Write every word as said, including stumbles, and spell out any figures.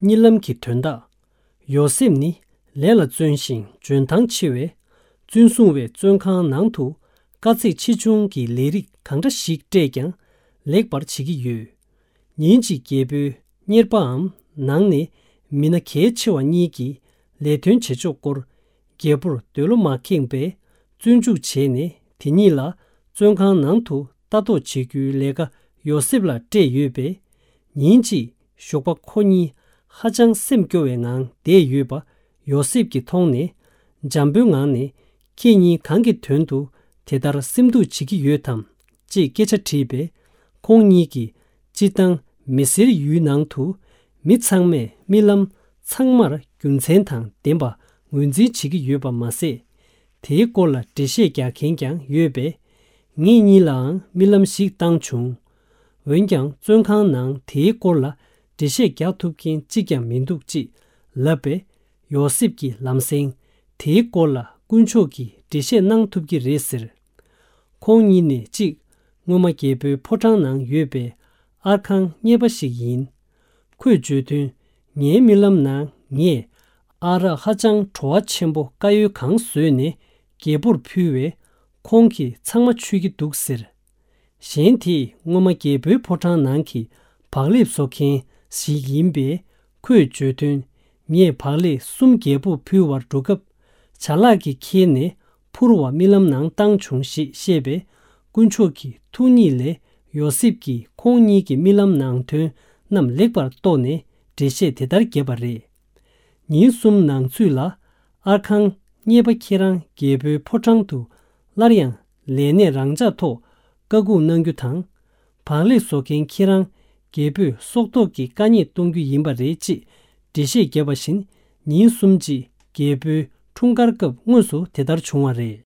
གཉིད་ལམ་གྱི་དོན་དག་ཡོ་སེབ་ནི་ལས་ལ་བརྩོན་ཞིང་འཇོན་ཐང་ཆེ་བས། བཙོན་སྲུང་བས་བཙོན་ཁང་ནང་དུ་དཀའ་ཚེགས་ཆེ་ཆུང་གི་ལས་རིགས་གང་འདྲ་ཞིག་སྤྲད་ཀྱང་ལེགས་པར་བྱེད་ཀྱི་ཡོད། ཉིན་གཅིག་རྒྱལ་པོའི་གཉེར་པའམ་ནང་ནས་མི་སྣ་གལ་ཆེ་བ་གཉིས་ཀྱིས་ལས་དོན་བྱེད་ཕྱོགས་སྐོར་རྒྱལ་པོར་འདོད་བློ་མ་ཁེངས་པས་བཙོན་འཇུག་བྱས་ནས། དེ་གཉིས་ལ་བཙོན་ཁང་ནང་དུ་ལྟ་རྟོག་བྱེད་རྒྱུའི་ལས་ཀ་ཡོ་སེབ་ལ་སྤྲད་ཡོད་པས། ཉིན་གཅིག་ཞོགས་པ་ཁོ་གཉིས་ཧ་ཅང་སེམས་སྐྱོ་བའི་ངང་བསྡད་ཡོད་པ་ཡོ་སེབ་ཀྱིས་མཐོང་ནས། འཇམ་པོའི་ངང་ནས། ཁྱེད་གཉིས་གང་གི་དོན་དུ་དེ་ལྟར་སེམས་སྡུག་བྱེད་ཀྱི་ཡོད་དམ། ཅེས་སྐད་ཆ་དྲིས་པས། ཁོང་གཉིས་ཀྱིས་སྤྱིར་བཏང་མི་སེར་ཡུལ་ནང་དུ་མི་ཚང་མས་རྨི་ལམ་ཚང་མར་རྒྱུ་མཚན་དང་ལྡན་པ་ངོས་འཛིན་བྱེད་ཀྱི་ཡོད་པ་མ་ཟད། དེའི་སྐོར་ལ་འགྲེལ་བཤད་རྒྱག་མཁན་ཀྱང་ཡོད་པས། ངེད་གཉིས་ལའང་རྨི་ལམ་ཞིག་བཏང་བྱུང་། འོན་ཀྱང་བཙོན་ཁང་ནང་དེའི་སྐོར་ལ་འགྲེལ་བཤད་རྒྱག་ཐུབ་མཁན་གཅིག་ཀྱང་མི་འདུག་ཅེས་ལབ་པས། ཡོ་སེབ་ཀྱིས་ལམ་སེང་དེའི་སྐོར་ལ་དཀོན་མཆོག་གིས་འགྲེལ་བཤད་གནང་ཐུབ་ཀྱི་རེད་ཟེར། ཁོང་གཉིས་ནས་གཅིག་སྔོན་མ་རྒྱལ་པོའི་ཕོ་བྲང་ནང་ཡོད་པའི་ཨར་ཁང་གཉེར་པ་ཞིག་ཡིན། ཁོས་བརྗོད་དོན། ངའི་རྨི་ལམ་ནང་ངས་ཨ་རག་ཧ་ཅང་བྲོ་བ་ཆེན་པོ་དཀར་ཡོལ་གང་བཟོས་ནས་རྒྱལ་པོར་ཕུལ་བས། ཁོང་གིས་ཚང་མ་མཆོད་ཀྱི་འདུག་ཟེར། གཞན་དེས་སྔོན་མ་རྒྱལ་པོའི་ཕོ་བྲང་ནང་གི་བག་ལེབ་བཟོ་མཁན་ཞིག་ཡིན་པས། ཁོས་བརྗོད་དོན། ངས་བག་ལེབ་གསུམ་རྒྱལ་པོར་ཕུལ་བར་འགྲོ་སྐབས། བྱ་གླག་གིས་ཁྱེར་ནས་འཕུར་བ་རྨི་ལམ་ནང་བཏང་བྱུང་ཞེས་བཤད་པས། དཀོན་མཆོག་གི་ཐུགས་ཉིད་ལས་ཡོ་སེབ་ཀྱིས་ཁོང་གཉིས་ཀྱི་རྨི་ལམ་ནང་དོན་རྣམས་ལེགས་པར་རྟོགས་ནས་འགྲེལ་བཤད་དེ་ལྟར་བརྒྱབ་པ་རེད། ཉིན་གསུམ་ནང་ཚུད་ལ་ཨར་ཁང་གཉེར་པ་ཁྱེད་རང་རྒྱལ་པོའི་ཕོ་བྲང་དུ་སླར་ཡང་ལས་གནས་རང་འཇགས་ཐོག་བཀའ་འགུག་གནང་རྒྱུ་དང་། བག་ལེབ་བཟོ་མཁན་ཁྱེད་རང་རྒྱལ་པོས་སྲོག་ཐོག་གི་བཀའ་ཉེས་གཏོང་རྒྱུ་ཡིན་པ་རེད་ཅེས་འགྲེལ་བཤད་བརྒྱབ་པ་བཞིན། ཉིན་གསུམ་རྗེས་རྒྱལ་པོའི་འཁྲུངས་སྐར་སྐབས་དངོས་སུ་དེ་ལྟར་བྱུང་བ་རེད།